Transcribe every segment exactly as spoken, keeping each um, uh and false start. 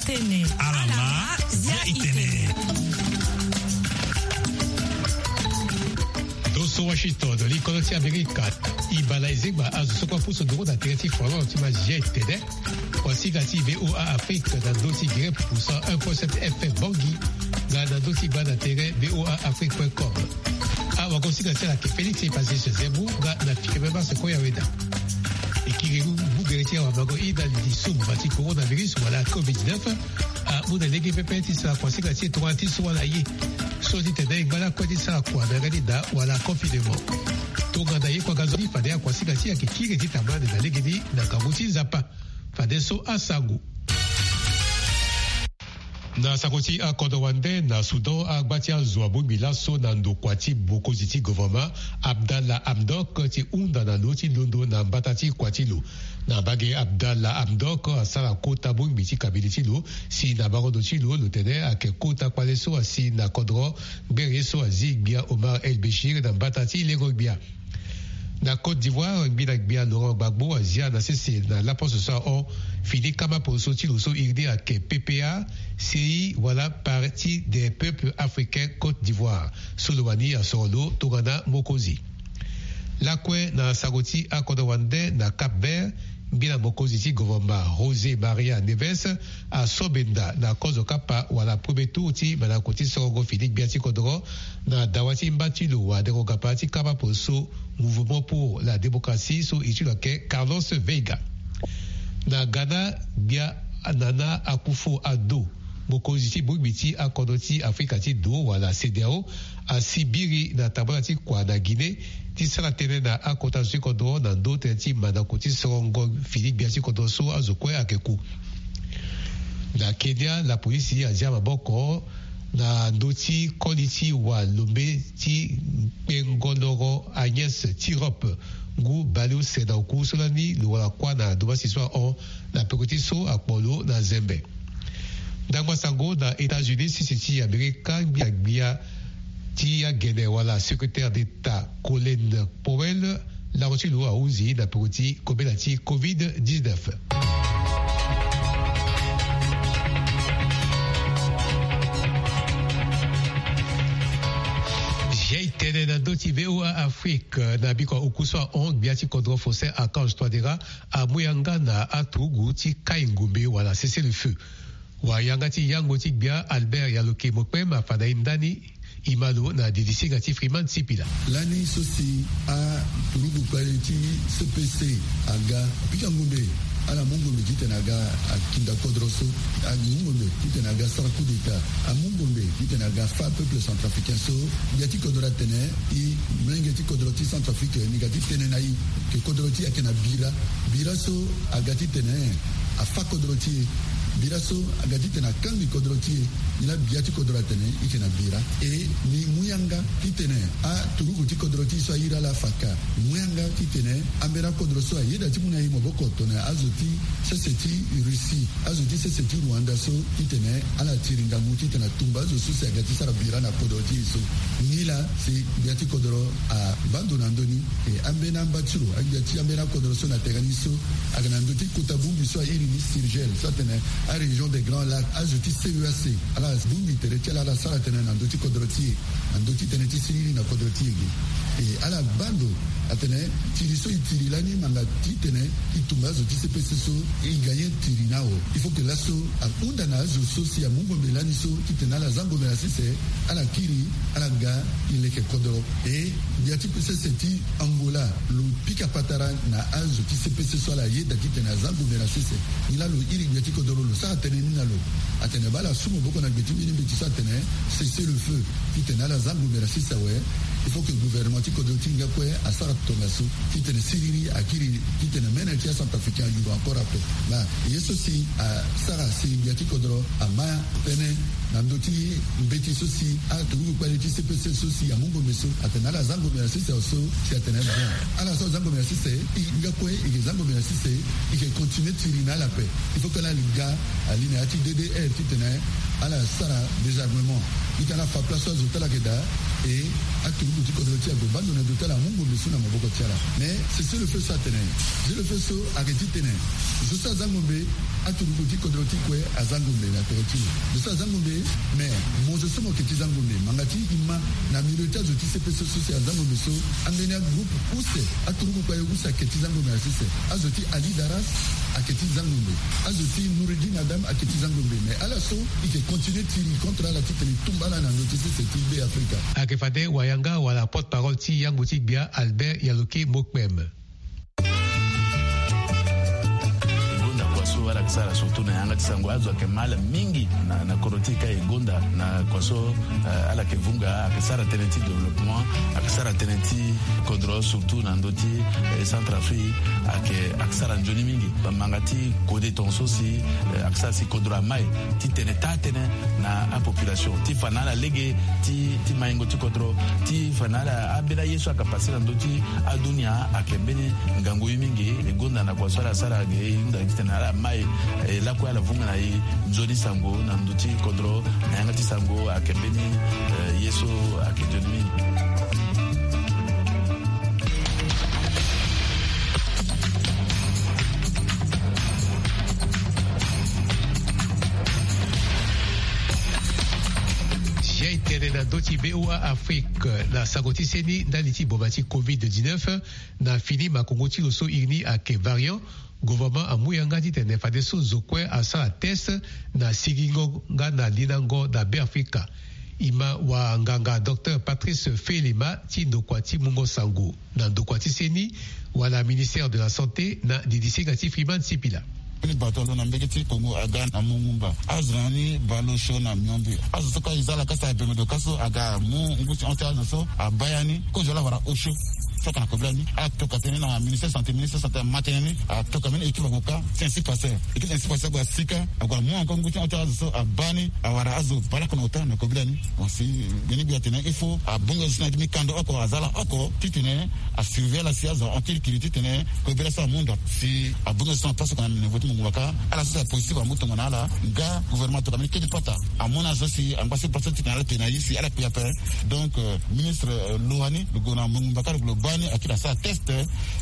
Alama, zia itene. Doso Washington, li kono ti Amerika. Ibala ezengba azo so kue apusu nduru na tere ti Finlande ti ma zia itene. Kuasinga ti VOA Afrique na ndö ti gere pusa un point sept F M Bangui, nga na ndö ti gba na tere VOA Afrique point com. Awagosinga ti ala ayeke Félix Epasis Zemmour nga na fike même ase kue ya weda. E kiri mu gere ti awamango ida li ti sumba ti coronavirus wala covid dix-neuf. Amu na lege pepe ti sara kuasinga ti e tongana ti so wala ye. So ti tene e ngba lakue ti sara kua na yanga ti da wala confinement. Tongana ye kue aga zo ni fade akuasinga ti e ayeke kiri ti tambula ande na lege ni na ngangu ti Nzapa. Fadeso asango. Na sango ti akodro wande na Soudan, agba ti azo abongbi laso na ndokua ti mokonzi ti gouvernement, Abdallah Hamdok, ti hunda na lo ti londo na mbata ti kua ti lo. Na mbage, Abdallah Hamdok asara kota bongbi ti kabine ti lo, si na bango ndo ti lo lo tene ayeke kota kpale so asi na kodro, ngbere ye so azi gbia Omar El Béchir na mbata ti lengo gbia. Na Côte d'Ivoire, ngbina gbia Laurent Gbagbo azia na sese na laposo so ahon fini kama poroso ti lo so iri ni ayeke P P A C I wala Parti des Peuples Africains Côte d'Ivoire, so lo wani asoro lo tongana mokonzi. Lakue na sango ti akodro wande na Cap Vert, ngbina mokonzi ti gouvernement José Maria Neves aso benda na kozo kapa wala premier tour ti mandako ti sorongo fini gbia ti kodro na dawa ti mba ti lo wadengo gapa ti kama poroso Mouvement pour la Démocratie so iri ti lo ayeke Carlos Veiga. Na Ghana, gbia Nana Akufo-Addo, mokonzi ti bongbi ti akodro ti Afrika ti do wala CEDEAO, asi biri na tambula ti kua na Guinée ti sara tënë na akota zo ti kodro na ndö tënë ti mandako ti sorongo fini gbia ti kodro so azo kue ayeke ku. Na Kenya, lapolisi azia maboko na ndö ti koli ti walombe ti kpengo loro Agnes Tirop, ngu bale use na oku so lani lo wara kuâ na domansi so ahon na peko ti so akpo lo na zembe. Ndangba sango na États-Unis, sese ti Amerika, ngbia gbia ti agene wala secrétaire d'État Colin Powell, lango ti lo ahunzi na peko ti kobela ti covid dix-neuf. Zia itene na ndö ti VOA Afrique, na biko ya oku so ahon, gbia ti kodro Faustin Archange Touadéra amu yanga na aturugu ti kai ngombe wala cessez-le-feu. Wa yanga ti yango ti gbia Albert Yaloke Mokpem afa na e ndani. E ma lo na didisinga ti Freeman Sipila. Lani so si aturugu kpale ti C P C aga, pika ngombe, ala mu ngombe titene aga akinda kodro so, amu ngombe titene aga sara coup d'état, amu ngombe titene aga fâ peuple centrafricain so. Gbia ti kodro atene e, molenge ti kodro ti Centrafrique ni ga ti tene na e, ke kodro ti e ayeke na bira. Bira so aga titene afâ kodro ti e. Bira so aga titene akangbi kodro ti e. Ni laa gbia ti kodro atene e yeke na bira. E ni mu yanga titene aturugu ti kodro ti e so airi ala afaka, mu yanga titene ambeni akodro so ayeda ti mu na e maboko tongana azo ti sese ti Russie, azo ti sese ti Rwanda so, titene ala tiri ngangu titene atumba azo so si aga ti sara bira na kodro ti e so. Nilaa si gbia ti kodro abaa ndo na ndö ni. E ambeni amba ti lo, agbia ti ambeni akodro so na tere ni so, ayeke na ndö ti kota bongbi so airi ni SIRGEL, so atene aRégion des Grands Lacs, azo ti C E A C, ala bongbi tere ti ala, ala sara tënë na ndö ti kodro ti e, na ndö ti tënë ti siriri na kodro ti e ge. E ala baa ndo atene tiri so e tiri lani, ngbanga titene e tumba azo ti C P C so, e ga ye tiri na awe. Il faut que laso ahunda na azo so si amu ngombe lani so, titene ala za ngombe na sese, ala kiri, ala ga e leke kodro. E gbia ti sese ti Angola lo pika patara na azo ti C P C so, ala yeda titene aza ngombe na sese. Nilaa lo iri gbia ti kodro, lo sara tënë ni na lo. Atene baa ala su maboko na gbe ti mbeni mbeti so atene cessez-le-feu, titene ala za ngombe na sese awe. Il faut que gouvernement ti kodro ti e nga kue asara tongaso titene siriri akiri, titene mene ti aCentrafricain ayuru encore ape. Baa ye so si asara si gbia ti kodro ama tënë Na ndö ti mbeti so si aturugu kpale ti C P C so si amu ngombe so atene ala za ngombe na sese so si atene bon. Ala so aza ngombe na sese, i nga kue i ke za ngombe na sese, i ke continue tiri na ala ape. Il faut que ala li ga ali na ya ti D D R titene ala sara désarmement. Titene ala fa place so azo ti ala ayeke daa. E aturugu ti kodro ti ague baa ndo na ndo ti ala amu ngombe so na maboko ti ala. Mais cessez-le-feu so atene, cessez-le-feu so ayeke titene zo so aza ngombe, aturugu ti kodro ti kue aza ngombe na tere ti lo. Zo so aza ngombe, mais mo zo so mo yeke ti za ngombe. Manga ti i ma na milieu ti azo ti C P C so si aza ngombe so, ambeni agroupe use, aturugu kpale use ayeke ti za ngombe na sese. Azo ti Ali Daras ayeke ti za ngombe. Azo ti Noureddin Adam ayeke ti za ngombe. Mais ala so i ke continue tiri contre ala titene i tumba ala na ndö ti sese ti Be Afrika. Ayeke fade wayanga wala porte-parole ti yango ti gbia Albert Yaloke Mokpem. E gonda kua so ala yeke sara surtout na yanga ti sango, azo ayeke mal mingi na, na kodro ti e ka. E gonda na kua so, eh, ala yeke vunga, ayeke sara tënë ti développement, ayeke sara tënë ti kodro surtout na ndö ti, eh, Centrafrique, ayeke, ayeke sara nzoni mingi. Bamanga ti kode tongaso si, eh, ayeke sara si kodro amai titene taa tënë na apopulation ti fa na ala lege ti, ti maingo ti kodro, ti fa na ala ambeni aye so ayeke pase na ndö ti adunia ayeke mbeni ngangu ye mingi. E gonda na kua so ala sara ge e hunda titene ala mai, eh, lakue ala vunga na e nzoni sango na ndö ti kodro na yanga ti sango ayeke mbeni, eh, ye so ayeke nzoni mingi. Zia e tene na ndö ti B O A Afrique na sango ti seni ndali ti boma ti covid dix-neuf. Na fini makongo ti lo so iri ni ayeke variant, gouvernement amu yanga titene fadeso zo kue asara test na sigingo nga na linango na Be Afrika. E ma wanganga docteur Patrice Felema ti ndokua ti mungo sango na ndokua ti seni wala ministère de la santé na didisinga ti Freeman Sipila. Ni bato alo na mbege ti Congo aga na mongumba. Azo na ni bale osio na miombe. Azo so ka e za lakasa abembe do ka so aga mu ngu ti hon ti azo so abaa ya ni. Kozo ala wara osio. So aka na kobela ni atoka tënë na ministère santé, ministère santé ama tënë ni atoka mbeni équipe ague ka ti insi passer. Équipe ti insi passer ague asika ague amu encore ngu ti hon ti azo so abaa ni. Awara azo bale oko na ota na kobela ni. Bon, si mbeni gbia atene il faut abongbi azo so na ya ti mbi kando oko aza ala oko titene asurveiller ala si azo ahon kiri kiri titene kobela so amu ndo. Si abongbi azo so na place oko na niveau ti mongumba ka ala so si apositif amu tongana ala nga gouvernement atoka mbeni kete pata amu na azo si angba si place titene ala te na ye si ala kpe ape. Donc, euh, ministre, euh, Louhani lo gue na mongumba ka lo gue lo baa ni akiri asara test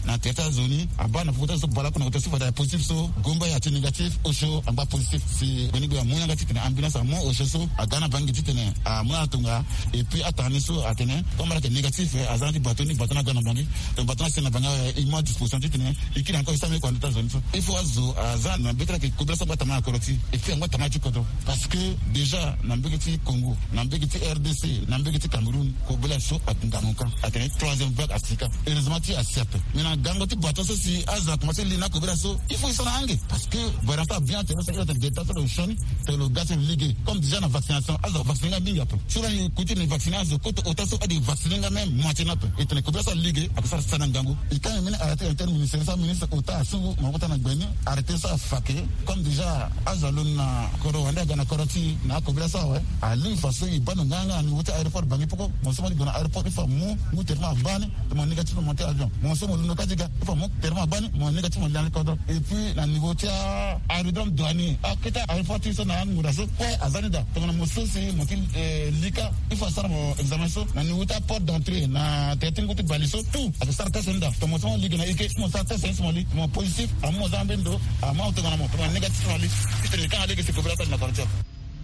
na tere ti azo ni. Abaa na popo ti azo so bale oko na ota so fade aye positif so gomba ya ti négatif osio angba positif. Si mbeni gbia amu yanga titene ambulance amu osio so aga na bangi titene amu na ala tonga. Et puis atanga ni so atene comme ala yeke négatif, eh, aza na ti bato ni, bato ni aga na bangi. Donc bato ni asi na bangi awe, e mu adisposition titene e kiri encore e sara mbeni kua na ndö ti azo ni so. Il faut azo aza na mbeti ala yeke kobela so angba tama na kodro ti e. Et puis angba tama ti kodro. Parce que déjà na mbege ti Congo, na mbege ti R D C, na mbege ti Cameroun, kobela so atunga na ka atene troisième vague asika. Heureusement ti asi ape. Mais na gango ti bato so si azo na commencé li na kobela so, il faut e sara ange. Parce que variant so abien atene so iri atene delta so lo sioni. Tene lo ga ti lo lege comme déjà na vaccination azo avaccine nga mingi ape. So lani kuti ni vaccine azo koto ota so ade vaccine nga même moitié ni ape. E tene kobela so alege ake sara sara na ngangu. E ka ni mbeni arrêté interministériel so aministre ota asungu maboko ota na gbe ni. Arrêté so afa ke comme déjà azo alo na kodro wande aga na kodro ti na akobela so awe. Alingbi fa so e baa ndo nganga na niveau ti aéroport Bangui poko. Mo so mo li gue na aéroport il faut amu ngu traitement abaa ni. Mo négatif mo monter avion. Mo so mo londo ka ti ga il faut mo tene mo abaa ni mo négatif mo li na ni kodro. Et puis na niveau ti a aérodrome douanier akete aéroport ti so na anguda so kue aza ni daa. Tongana mo so si mo ti, eh, li ka il faut asara mo examen so na niveau ti aport d'entrée na tere ti ngu ti bale so tout ake sara test ni daa. Tongana mo so mo li ge na ike mo sara test ni so mo li mo positif amu mo za mbeni ndo. Ama tongana mo tongana négatif mo li. Titene ka na lege si kobela sara na quartier.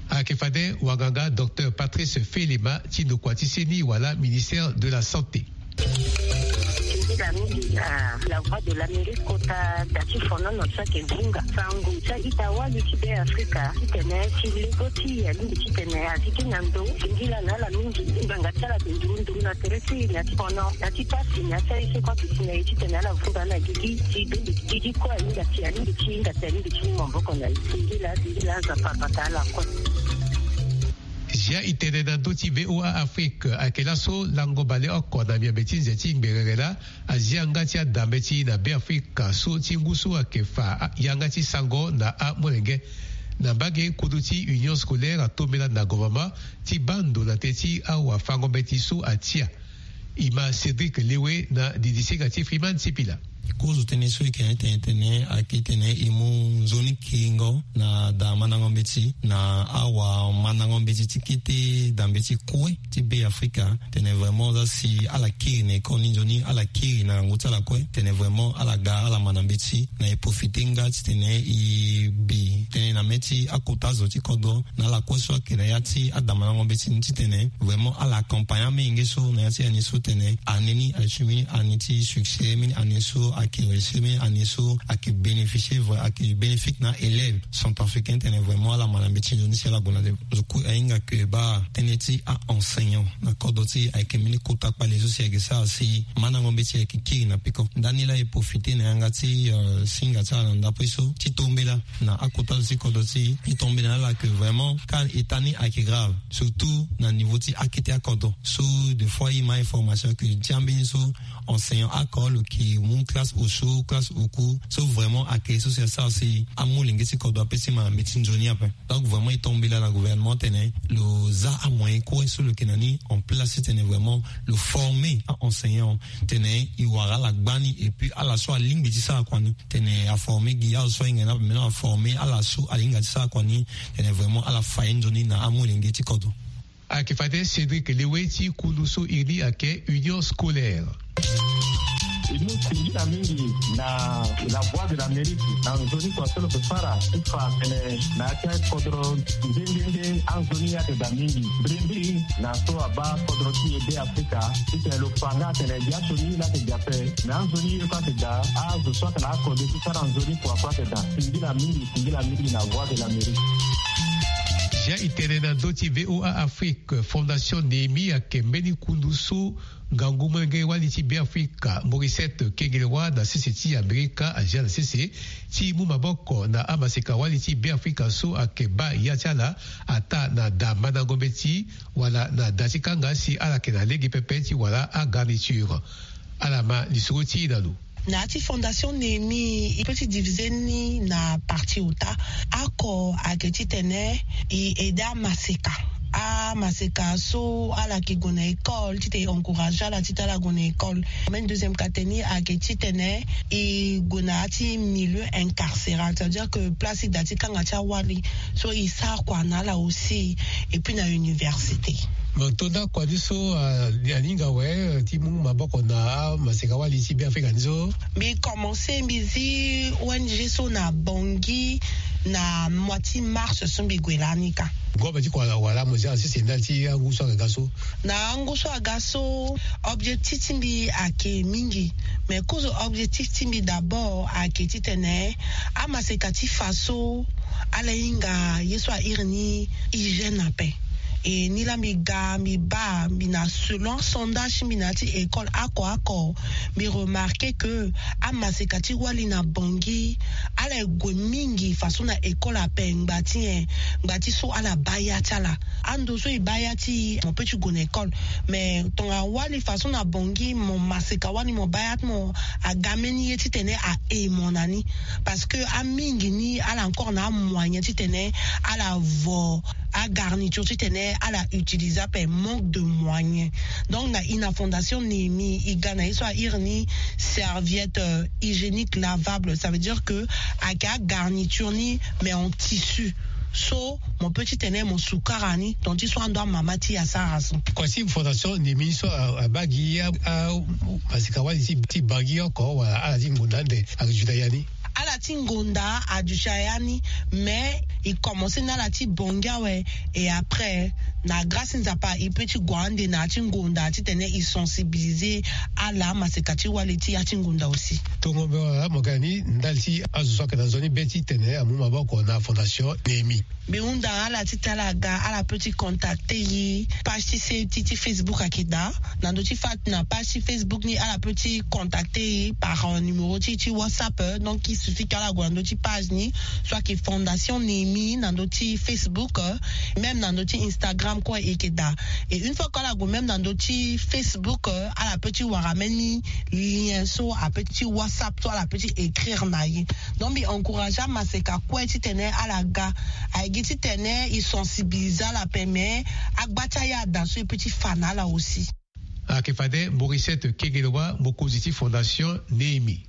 Ayeke fade wanganga docteur Patrice Felema ti ndokua ti seni wala ministère de la santé. Titene mingi na La Voix de l'Amérique kota da ti fonono so ayeke vunga sango ti a-ita wali ti Be Afrika titene ti lego ti e alingbi titene azi gi na ndo. Singila na ala mingi ngbanga ti ala ayeke nduru nduru na tere ti e na ya ti fono na ti pasi na ya ti aye so kue aduti na e titene ala vunga na gigi ti be ndiki gigi kue ahinga si alingbi ti hinga si alingbi ti mu maboko na e. Singila singila Nzapa abata ala kue. Zia e tene na ndö ti V O A Afrique ayeke laso lango baleoko na miombe ti nze ti ngberere laa azia nga ti adambe ti e na Be Afrika so ti ngu so ayeke fa yanga ti sango na amolenge. Na mbage kodo ti union scolaire atombela na gouvernement ti baa ndo na te ti awafango-mbeti so atia. Ima Cédric Lewe na didisinga ti Freeman Sipila. Kozo tënë so e yeke na e tene tene ayeke tene e mu nzoni kiringo na da mandango mbeti na awamandango mbeti ti kete da mbeti kue ti Be Afrika. Tene vraiment za si ala kiri na école ni nzoni ala kiri na ngu ti ala kue tene vraiment ala ga ala ma na mbeti na e profite nga titene e bi tene na mê ti akota zo ti kodro na ala kue so ayeke na ya ti adamandango mbeti ni titene vraiment ala accompagne amolenge so na ya ti année so tene année ni ayeke mbeni année ti succès, mbeni année so ayeke réussir, mbeni année so ayeke bénéficier vrai ayeke bénéfique na élève centrafricain tene vraiment ala ma na mbeti nzoni si ala gue na nde. Zo kue ahinga ke baa tënë ti a-enseignant na kodro ti e ayeke mbeni kota kpale so si ayeke sara si mandango mbeti ayeke kiri na peko. Ndani laa e profite na yanga ti singa ti ala na ndapre so ti tombela na akota zo ti kodro ti e. E tombela na ala ke vraiment ka eta ni ayeke grave surtout na niveau ti akete akodro so des fois e ma information ke ti ambeni so enseignant oko lo yeke mu classe osio classe oku so vraiment ayeke so si asara si amolenge ti kodro ape ti ma na mbeti nzoni ape. Donc vraiment e tombela na gouvernement tene lo za amoyen kue so lo yeke na ni en place titene vraiment lo former a-enseignant tene e wara ala gbani et puis ala so alingbi ti sara kua ni tene aformer gi azo so ahinga ni ape maintenant aformer ala so alinga ti sara kua ni tene vraiment ala fa ye nzoni na amolenge ti kodro. Ayeke fade Cédric Lewe ti kundu so iri ni ayeke union scolaire. E mu singila mingi na La Voix de l'Amérique na nzoni kua so lo yeke fara ti fa tene na ya ti akodro nde nde nde anzoni ayeke daa mingi mbirimbiri na so abaa kodro ti e Be Afrika titene lo fa nga atene biasioni la yeke daa ape. Me anzoni ye kue ayeke daa azo so ayeke na akode ti sara nzoni kua kue ayeke daa. Singila mingi singila mingi na Voix de l'Amérique. Zia e tene na ndö ti VOA Afrique, Fondation Néhémie ayeke mbeni kundu so ngangu molenge wali ti Beafrika Morissette Kengelewa na sese ti Amerika azia na sese ti mu maboko na amaseka wali ti Beafrika so ayeke baa ya ti ala ataa na da mandango mbeti wala na da ti kanga si ala yeke na lege pepe ti wara agarniture. Ala ma lisoro ti e na lo. Na ya ti Fondation Néhémie e peut ti diviser ni na partie ota. Oko ayeke titene e aider amaseka, amaseka so ala yeke gue na école titene e encourager ala titene ala gue na école. Même deuxième ka tene ni ayeke titene e gue na ya ti milieu incarcéral, c'est à dire que place ti da ti kanga ti awali so e sara kua na ala aussi et puis na université. Mo to nda kua ni so ahinga awe ti mu maboko na amaseka wali ti Beafrika ni so. Mbi commencer mbi zi O N G so na Bangui na mois ti mars so mbi gue lani ka. Gobe ti kua wala mo zi ala sese ndali ti angu so aga ga so. Na angu so aga so objectif ti mbi ayeke mingi. Mais kozo objectif ti mbi d'abord ayeke titene amaseka ti fa so ala hinga ye so a iri ni hygiène ape. E ni laa mbi ga mbi baa mbi na selon asondage ti mbi na ya ti école oko oko, mbi remarquer que amaseka ti wali na Bangui ala gue mingi façon na école ape ngba ti nyen? Ngba ti so ala baa ya ti ala. Ando so e baa ya ti e mo peut ti gue na école. Mais tongana wali façon na Bangui mo maseka wali mo baa ya ti mo aga mbeni ye titene a e mo na ni. Parce que amingi ni ala encore na amoyen titene ala vo agarniture titene ala utiliser ape, manque de moyen. Donc na e na Fondation Néhémie e ga na ye so a iri ni serviette hygiénique lavable, ça veut dire que ayeke agarniture ni mais en tissu so mo peut titene mo sukara ni donc ti so ando amama ti e asara so. Kua ti Fondation Néhémie so abaa gi amaseka wali ti Bangui oko wala ala ti ngonda ande ayeke juda ya ni? Ala ti ngonda aduti ya ni. Mais e commencer na ala ti Bangui awe. Et après na grâce ti Nzapa e peut ti gue ande na ya ti ngonda titene e sensibiliser ala amaseka ti wali ti ya ti ngonda aussi. Tongo mbi wara mo ga ni ndali ti azo so ayeke na nzoni be titene amu maboko na Fondation Néhémie. Mbi hunda ala titene ala ga ala peut ti contacter e. Page ti se ti ti Facebook ayeke daa. Na ndö ti fa na page ti Facebook ni ala peut ti contacter e par numéro ti ti WhatsApp. Donc il suffit Ala gue na ndö ti page ni, so ayeke Fondation Néhémie na ndö ti Facebook, euh, même na ndö ti Instagram kue e yeke daa. Et une fois que ala gue même na ndö ti Facebook, euh, ala peut ti wara même ni lien so ape ti WhatsApp so ala peut ti écrire na ye. Donc mbi encourage amaseka kue titene ala ga. Aye gi titene e sensibiliser ala ape, mais agba ti aya ada so e peut ti fa na ala aussi. Ayeke fade Mauricette Kegeloa, mokonzi ti Fondation Néhémie.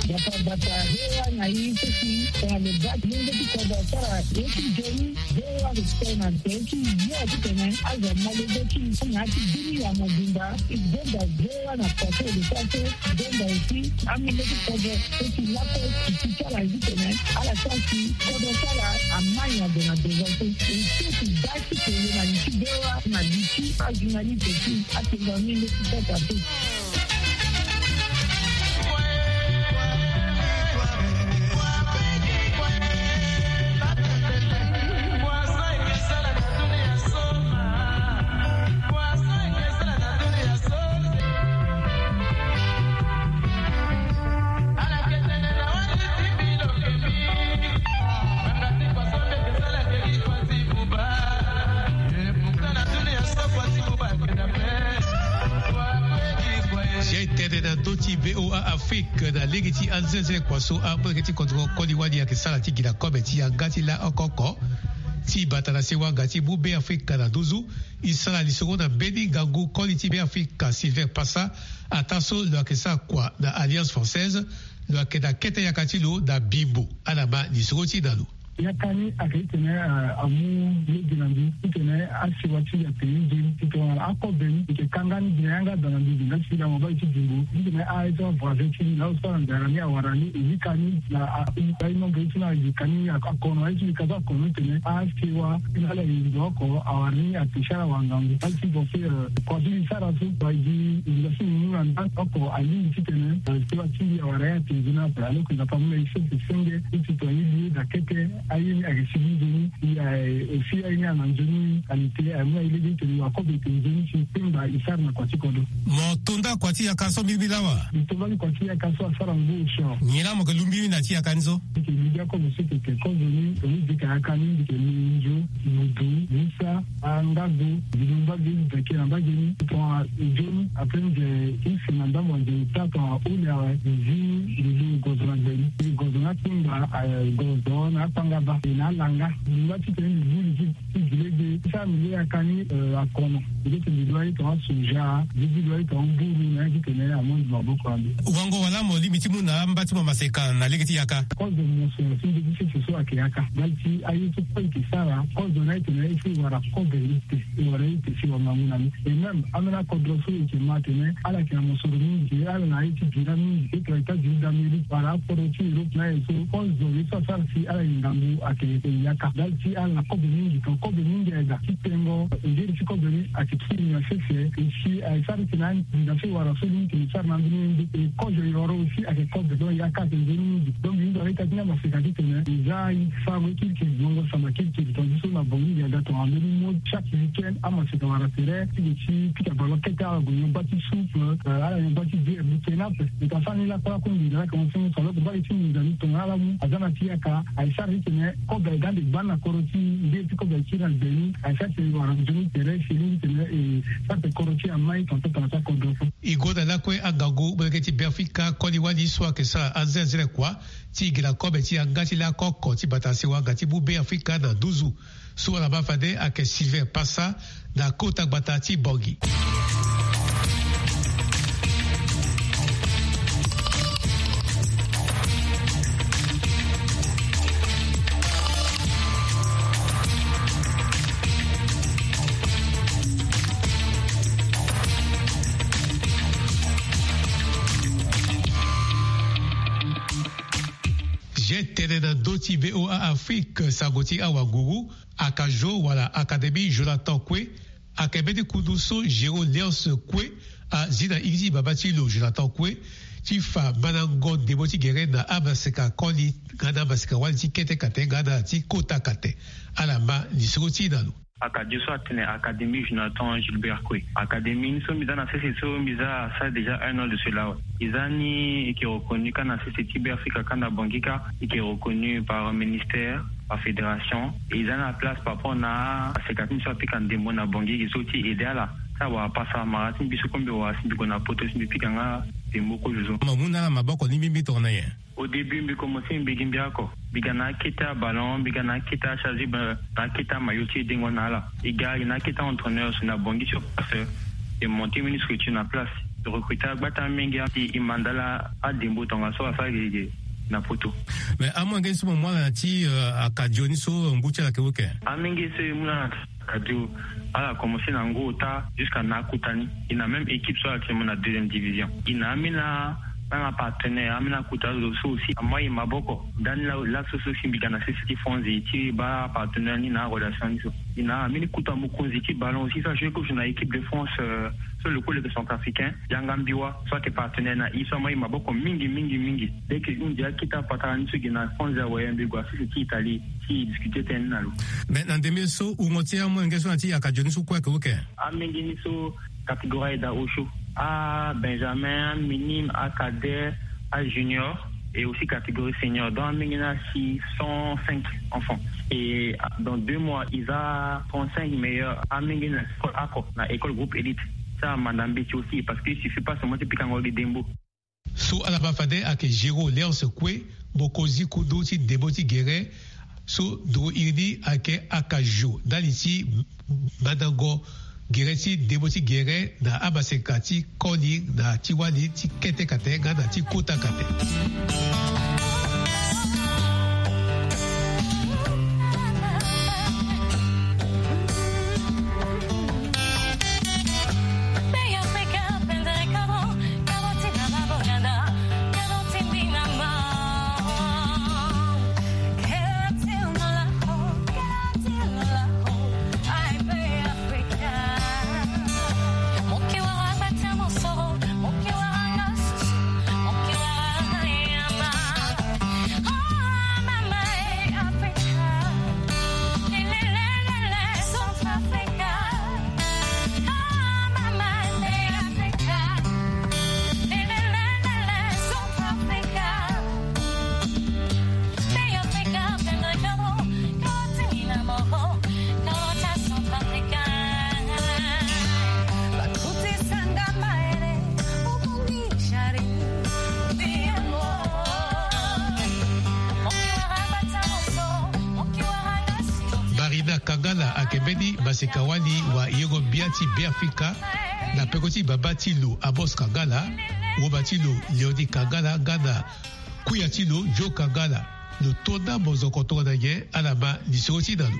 Bata bata hewa na ye so si tongana lo baa ti lenge ti kodro asara ye ti nzoni. Hewa lo tene na nze ti ye titene azo amolenge ti na ya ti dini ya mobimba. Donda hewa na kote lo sara so donda aussi amolenge ti kodro so si lakue ti ti ti ala ye titene ala sara si kodro ti ala amai na gue na devant so. E so ti baa ti kele na li ti hewa na li ti ajournaliste ti atenda ni nde ti kota so. Zia e tene na ndö ti V O A Afrique na lege ti anzenze kua so amolenge ti kodro koli wali ayeke sara ti gi na kobe ti yanga ti la oko oko. Ti bata na sewa nga ti mu Be Afrika na nduzu, e sara lisoro na mbeni ngangu koli ti Be Afrika Sylvain Passa, ataa so lo yeke sara kua na Alliance Française, lo yeke na kete yaka ti lo na Bimbo. Ala ma lisoro ti na lo. Yaka ni ayeke titene, eh, amu lege na mbi titene asewa ti mbi ape ni nzoni ti tongana akobe ni e yeke kanga ni gi na yanga daa na mbi gi nga ti lango baa ti Bimbo titene aye so avoisin ti ni na azo so ala nzara ni awara ni e yika ni na a, a, nombre ye ti ni ayika ni akono aye ti mbi ka so akono titene asewa ti ni ala ye ndo oko awara ni ape ti ala wangangu. Aye ti pense, eh, kua so mbi sara so ayeke gi ndo so mbi mu na nda oko alingbi titene, eh, sewa ti mbi awara ye ape nzoni ape alors que Nzapa amu na ye so mbi senge ti tongana ye li ye daa kete. Aye ni ayeke sigi nzoni. E, e si aye ni ana nzoni qualité aye mu na ye lege titene akobe ete nzoni si kpengba e sara na kua ti kodro. Mo to nda kua ti yaka so mbirimbiri lawa? Mbi to mbali kua ti yaka so asara ngu osio. Nyen laa mo yeke lu mbirimbiri na ya ti yaka ni so? Mbi yeke lu gi akobe so e yeke kozo ni, tongana mbi yeke yaka ni mbi yeke lu nzo, mudu, musa, angago, mbi lu mbage, mbi yeke na mbage ni tongana nzoni. Après nze ti si na ndambo nze ti taa tongana holi awe, mbi zi mbi lu gozo na gbe ni. Mbi gozo na akpengba, eh, gozo na akpangaba e na alanga. Mbi ngba titene mbi lu li ti ti gi lege ti sara mbi lege yaka ni, eh, akono. Mbi lege titene mbi lu aye tongana soja, mbi lege ti lu aye tongana mburu na ya titene amonzi maboko na mbi. Wango wala mo lingbi ti mu na amba ti mo maseka na lege ti yaka? Kozo mo so si nde ti sese so ayeke yaka. Ndali ti aye so kue e yeke sara, kozo na ye tene e si e wara kobe ni te, e wara ye te si e wara ngangu na ni. Et même ambeni akodro so e yeke ma atene ala yeke na mosoro mingi, ala na aye ti bira mingi, e tongana États-Unis d'Amérique wala akodro ti Europe na aye so, kozo ye so asara si ala yeke ngangu ayeke yaka. Ndali ti ala na kobe mingi, tongana kobe mingi ayeke daa ti tengo, ngeri ti kobe ni ayeke kiri na sese. E si ayeke sara titene anginza so e wara so ni tene e sara na ambeni ye nde. E kozo e wara aussi ayeke kobe, donc yaka ayeke nzoni mingi. Donc mbi hinga na ita ti ni amaseka titene e za aye ti farango ye kirikiri, bongo samba kirikiri, tongana so na Bangui e ga tongana ambeni mo chaque week-end amaseka wara tere ti ge ti pika ballon kete, ala gue nyon bâ ti soupe, euh, ala nyon bâ ti bière, mbi tene ape. Mbi ka sara ni lakue lakue, nginza laa ayeke mo senge so, alors que mbage ti nginza ni tongana ala mu aza na ti yaka, aye sara titene kobe aye ga ande gbani na kodro ti e, nde ti kobe aye kiri na gbe ni, aye sara titene e wara nzoni tere si e lingbi titene e sara titene kodro ti e amai tongana so tongana so akodro so. E gonda lakue angangu molenge ti Beafrika koli wali so ayeke sara anzenze kua ti gi na kobe ti yanga ti laoko oko ti bata sewa nga ti mu Beafrika na nduzu. So ala ma fade ayeke Sylvain Passa na kota gbata ti Bangui. Zia e tene na ndö ti V O A Afrique, sango ti awanguru, Akajo wala Académie Jonathan Koué, ayeke mbeni kundu so Géraud Léonce Koué azi na iri ti baba ti lo Jonathan Koué ti fa mandango ndembo ti gere na amaseka koli nga na amaseka wali ti kete kate nga na ti kota kate. Ala ma lisoro ti na lo. Akadio so atene Académie Jonathan Gilbert Koué. Académie ni so mbi za na sese so mbi za asara déjà un an de cela. Eza ni eke reconnu ka na sese ti Beafrika ka na Bangui ka eke reconnu par ministère, par fédération. Eza na place par rapport na aseka ti mbi so apika ndembo na Bangui eke so ti aide ala. Sa wara pasa mara ti mbi so kombi wara si mbi gue na poto si mbi pika nga ndembo kozo so. Ma mu na ala maboko ni mbi mbi tongana nyen? Au début mbi commencé mbi gi mbi ako. Mbi ga na akete aballon, mbi ga na akete acharge, na akete amayo ti dengo na ala. E ga e na akete entraîneur so na Bangui sur place. E monté mini structure na place. E recruté agbata amenge si e manda ala adembo tongaso asara gege na poto. Mais amolenge so mo mu ala na ti akadio ni so ngu ti ala ke oke? Amenge so e mu na akadio, ala commencé na ngu ota jusqu'à na akota ni. E na même équipe so ala ti mo na deuxième division. E na ambeni na nanga partenaire, ambeni akota zo so aussi ama e maboko. Dani la la so so si mbi ga na sese ti fonzi ti baa partenaire ni na arelation ni so. E na ambeni kota mokonzi ti ballon aussi so ajoue kozo na équipe de France. So lo kue lo yeke centrafricain, yanga mbiwa so ayeke partenaire na e so ama e maboko mingi mingi mingi. Dès que e hunzi akete apatara ni so e gi na fonzi awaye mbi gue na sese ti Italie ti discuter tënë ni na lo. Mais na ndembe so wungo ti amolenge so na ti akadio ni so kue ayeke oke? Amenge ni so catégorie aye daa osio, abenjamin, aminime, acadet, ajunior, et aussi catégorie senior. Donc amenge ni asi cent cinq enfants. Et dans deux mois e za trente-cinq meilleurs amenge ni na école ako na école groupe élite. Sa amanda mbeti aussi parce que il suffit pas seulement ti pikango gi dembo. So ala ma fade ayeke Géraud Léonce Koué, mokonzi kundu ti ndembo ti gere so nduru iri ni ayeke akadio ndali ti mandango gere ti ndembo ti gere na amaseka ti koli na ti wali ti kete kate nga na ti kota kate. Marina Kangala ayeke mbeni maseka wali wa yengo-gbia ti Beafrika na peko ti baba ti lo Amos Kangala, woma ti lo Léonie Kangala nga na kuya ti lo Joe Kangala. Lo to na mozoko tongana nyen? Ala ma lisoro ti na lo.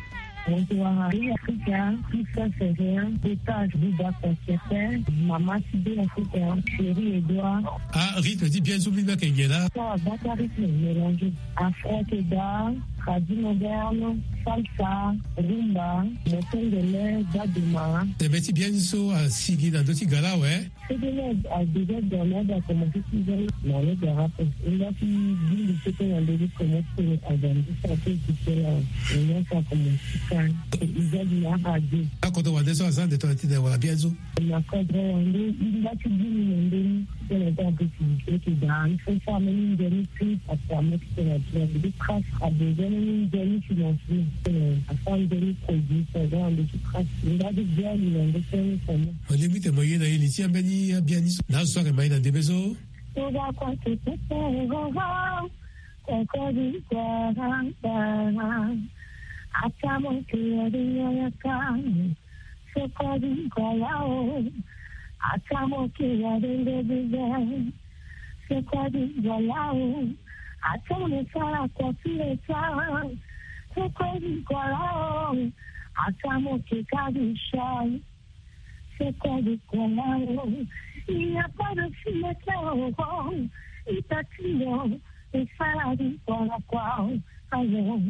Bonsoir, Africa, Christophe Ferrer, Beta, Buda Concepteur, Mama Sidi Africa, Chérie Edouard. Ah, rythme ti bien so mbi mbi ayeke nyen laa? Sa bata rythme mélangé. Afro Keda, Tradi Moderne, Salsa, Rumba, Motengele, Baduma. Tene ti bien so asigi na ndö ti gala awe. Cédric a déjà dormi, a commencé six heures. Na le garage. Il a fini dix minutes que dans le commence à grandir sa tête tout seul. Et là, ça commence quand il a dit la radio. Akoto wande so aza nde tongana ti tene wala bien so. Na cadre wande, il a fini dix minutes. Tene ti activité ti daa, il faut faire même une demi-prix parce que a meti tene ti na de crasse a besoin même une demi-financement. Tene a faire une demi-produit, ça va en dessous crasse. Il a dit bien, il a dit bien, il a dit bien. Olingbi tene mo ye na ye li ti ambeni abiani so na azo so ayeke ma ye na ndembe so. Toba kua tete roro, kokodi kua rambara. Ata mo ke ya de ya ya ka. Sokodi kua lao. Ata mo ke ya de de de de. Sokodi kua lao. Ata mo sara kua ti leta. Sokodi kua lao. Ata mo ke ka di shai. C'est quoi de quoi là? Il n'y a pas de fumette là, oh, oh. Il t'attire, oh, et ça la vie, quoi, là, quoi, oh. Alors,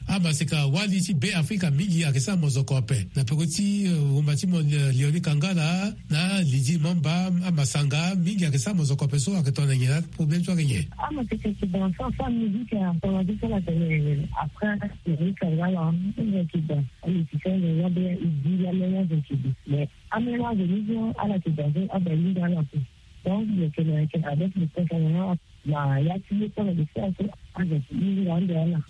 Amaseka wali ti Be Afrika mingi ayeke sara mozoko ape na peko ti rumba ti mo Leoni Kangala na Lidi Mamba. Amasanga mingi ayeke sara mozoko ape so ayeke tongana nyen na problème so ayeke nyen? Amaseka yeke dans sa sa musique à ton avis ça la télé après Leoni Kangala. Musique dans amusicien de la bien il dit la meilleure de qui dit mais amena de mission à la qui dans à Berlin dans la donc il y a que avec le président na ya ti ye so na de sara so.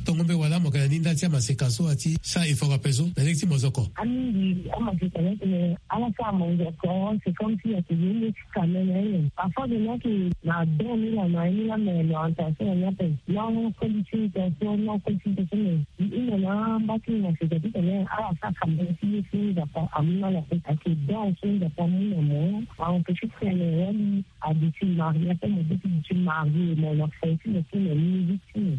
Tongo mbe wala mo yeke na ni nda ti amaseka so ati sara effort ape so na lege ti mozoko. Amingi amaseka ni atene ala sara mozoko c'est comme si ati ye nde ti kamene aye. Parfois de na ke na don ni la na ye ni la me lo antation na ni ape non koli ti intention non koli ti intention me i hunda na mba ti maseka ti tene ala sara kamene ti ye ti nzapa amu na ala ape ake don so nzapa amu na mo a empêche ti tene wali a duti marié ape mo duti duti marié mo na fo ti mo ti mo musique ti mo.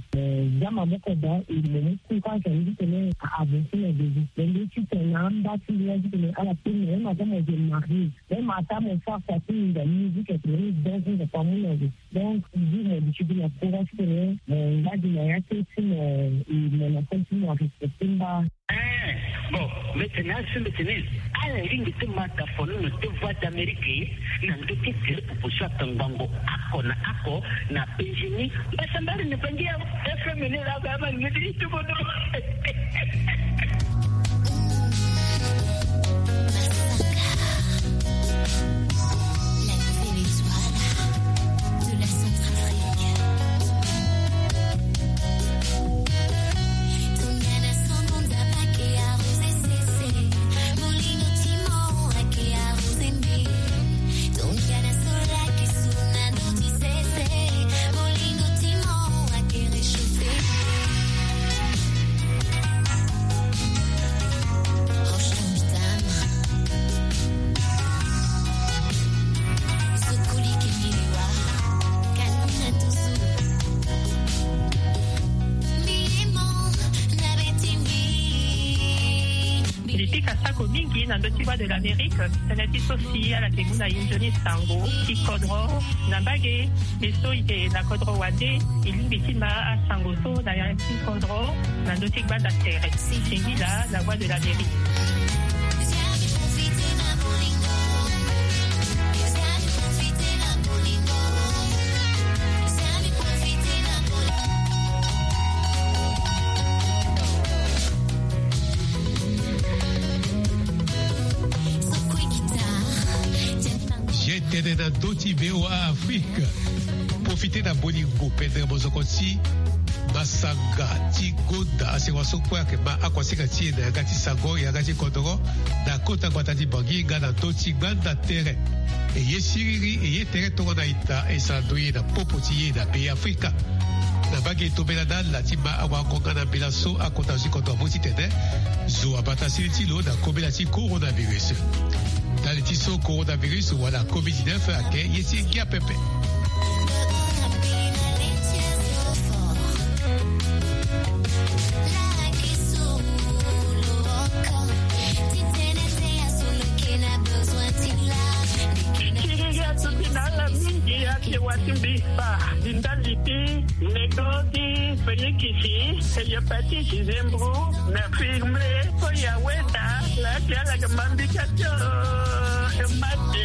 Za maboko daa e mo mu courage andi tene a avancer na début mais nde ti tene na amba ti ndia ti tene ala pe mo même ata mo je marié même ata mo sara sa ti minda musique ate ni donc nzapa mu na zo donc di mo duti gi na courage ti tene mo ngba gi na ya te ti mo e mo na fo ti mo a respecter mba. Eh, bon, mbi tene asi mbi tene ala ringi ti mata fono na te voix d'Amérique na ndö ti tele popo so aka ngbongo ako na ako na penzi ni. Mbasambari na bangi ya F M ni la ba ma ni ti tubono. La nouvelle étoile de la Centrafrique. Mbi pika sako mingi na ndö ti Voix de l'Amérique tënë ti so si ala yeke mu na e nzoni sango ti kodro na mbage. Mbi so e yeke na kodro wande e lingbi ti ma asango so na ya ti kodro na ndö ti gbanda tere. Singila, la Voix de l'Amérique. Ye tënë na ndö ti V O A Afrique. Profite na bolingo pendere mozoko ti masanga ti gonda asewa so kue ayeke ma akua sika ti e na yanga ti sango yanga ti kodoro na kota gbata ti Bangui nga na ndö ti gbanda tere. E ye siriri e ye tere tongana ita e sara ndo ye na popo ti ye na Be Afrika. Na mbage e tombela na ala ti ma awango nga na mbela so akota zo ti kodro amu titene zo abata sini ti lo na kobela ti coronavirus. Ndali ti so coronavirus wala covid dix-neuf ayeke ye ti ngia pepe. Kiriri atuti na ala mingi ake wa ti mbi fa di ndali ti nego ti Félix, hépatite, zembro na firme. Ko ya weda la ti ala ga mambi ka tio. Mate.